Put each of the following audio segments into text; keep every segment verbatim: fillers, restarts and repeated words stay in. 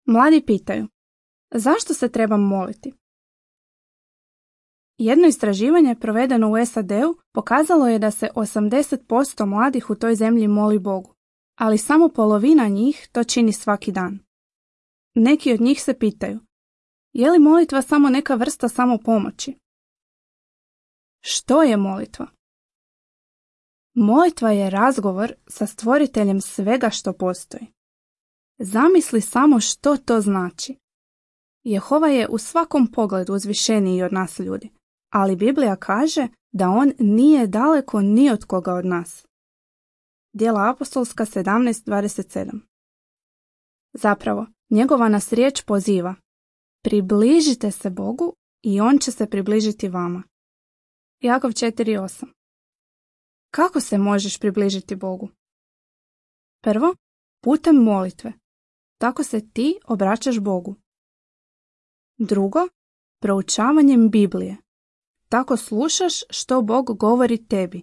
Mladi pitaju, zašto se trebam moliti? Jedno istraživanje provedeno u S A D-u pokazalo je da se osamdeset posto mladih u toj zemlji moli Bogu, ali samo polovina njih to čini svaki dan. Neki od njih se pitaju, je li molitva samo neka vrsta samopomoći? Što je molitva? Molitva je razgovor sa stvoriteljem svega što postoji. Zamisli samo što to znači. Jehova je u svakom pogledu uzvišeniji od nas ljudi, ali Biblija kaže da on nije daleko ni od koga od nas. Djela apostolska sedamnaest dvadeset sedam. Zapravo, njegova nas riječ poziva: približite se Bogu i on će se približiti vama. Jakov četiri osam. Kako se možeš približiti Bogu? Prvo, putem molitve. Tako se ti obraćaš Bogu. Drugo, proučavanjem Biblije. Tako slušaš što Bog govori tebi.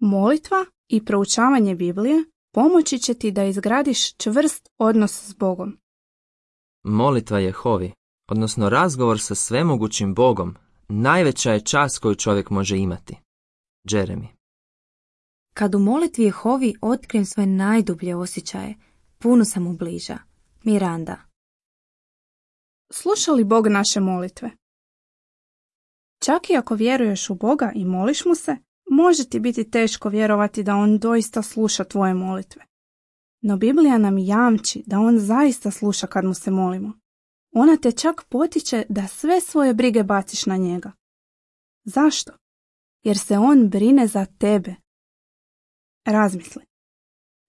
Molitva i proučavanje Biblije pomoći će ti da izgradiš čvrst odnos s Bogom. Molitva Jehovi, odnosno razgovor sa svemogućim Bogom, najveća je čast koju čovjek može imati. Jeremy. Kad u molitvi Jehovi otkrijem svoje najdublje osjećaje, puno sam mu bliža. Miranda. Sluša li Bog naše molitve? Čak i ako vjeruješ u Boga i moliš mu se, može ti biti teško vjerovati da on doista sluša tvoje molitve. No Biblija nam jamči da on zaista sluša kad mu se molimo. Ona te čak potiče da sve svoje brige baciš na njega. Zašto? Jer se on brine za tebe. Razmisli.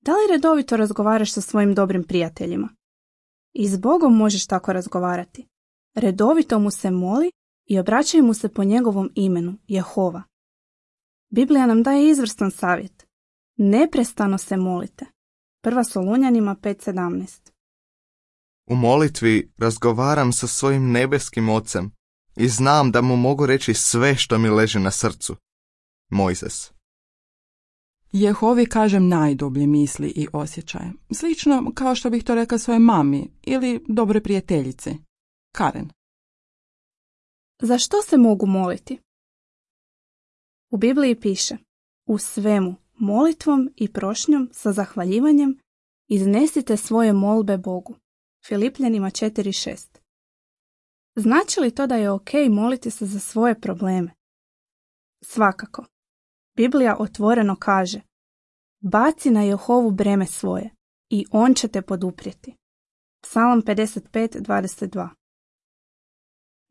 Da li redovito razgovaraš sa svojim dobrim prijateljima? I s Bogom možeš tako razgovarati. Redovito mu se moli i obraćaj mu se po njegovom imenu, Jehova. Biblija nam daje izvrstan savjet. Neprestano se molite. Prva Solunjanima pet sedamnaest. U molitvi razgovaram sa svojim nebeskim ocem i znam da mu mogu reći sve što mi leži na srcu. Mojzes. Jehovi kažem najdublje misli i osjećaje. Slično kao što bih to rekla svojoj mami ili dobroj prijateljici. Karen. Za što se mogu moliti? U Bibliji piše: u svemu, molitvom i prošnjom sa zahvaljivanjem iznesite svoje molbe Bogu. Filipljanima četiri šest. Znači li to da je ok moliti se za svoje probleme? Svakako. Biblija otvoreno kaže: baci na Jehovu breme svoje i on će te poduprijeti. Psalam pedeset pet dvadeset dva.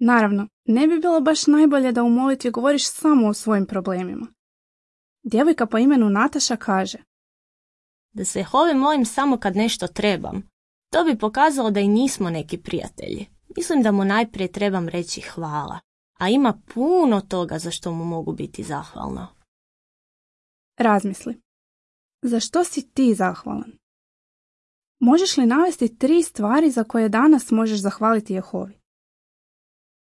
Naravno, ne bi bilo baš najbolje da u molitvi govoriš samo o svojim problemima. Djevojka po imenu Nataša kaže: da se Jehovi molim samo kad nešto trebam. To bi pokazalo da i nismo neki prijatelji. Mislim da mu najprije trebam reći hvala, a ima puno toga za što mu mogu biti zahvalna. Razmisli. Za što si ti zahvalan? Možeš li navesti tri stvari za koje danas možeš zahvaliti Jehovi?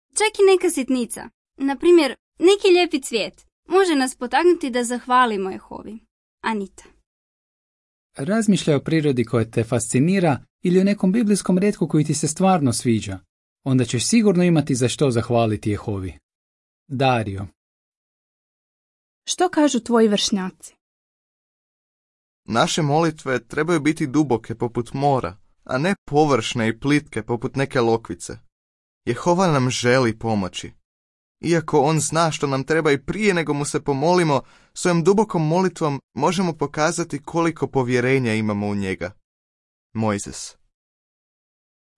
Čak i neka sitnica, na primjer neki lijepi cvijet, može nas potaknuti da zahvalimo Jehovi. Anita. Razmišljaj o prirodi koja te fascinira ili o nekom biblijskom retku koji ti se stvarno sviđa. Onda ćeš sigurno imati za što zahvaliti Jehovi. Dario. Što kažu tvoji vršnjaci? Naše molitve trebaju biti duboke poput mora, a ne površne i plitke poput neke lokvice. Jehova nam želi pomoći. Iako on zna što nam treba i prije nego mu se pomolimo, svojom dubokom molitvom možemo pokazati koliko povjerenja imamo u njega. Mojzes.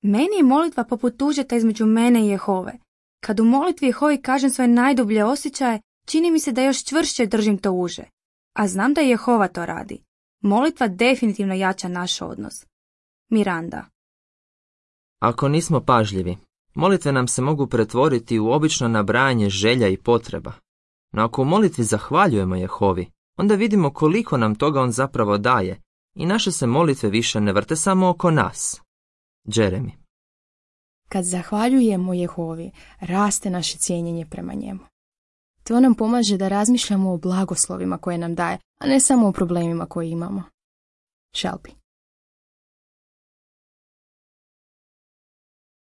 Meni je molitva poput tužeta između mene i Jehove. Kad u molitvi Jehovi kažem svoje najdublje osjećaje, čini mi se da još čvršće držim to uže. A znam da Jehova to radi. Molitva definitivno jača naš odnos. Miranda. Ako nismo pažljivi, molitve nam se mogu pretvoriti u obično nabrajanje želja i potreba. No ako u molitvi zahvaljujemo Jehovi, onda vidimo koliko nam toga on zapravo daje i naše se molitve više ne vrte samo oko nas. Jeremy. Kad zahvaljujemo Jehovi, raste naše cijenjenje prema njemu. To nam pomaže da razmišljamo o blagoslovima koje nam daje, a ne samo o problemima koje imamo. Shelby.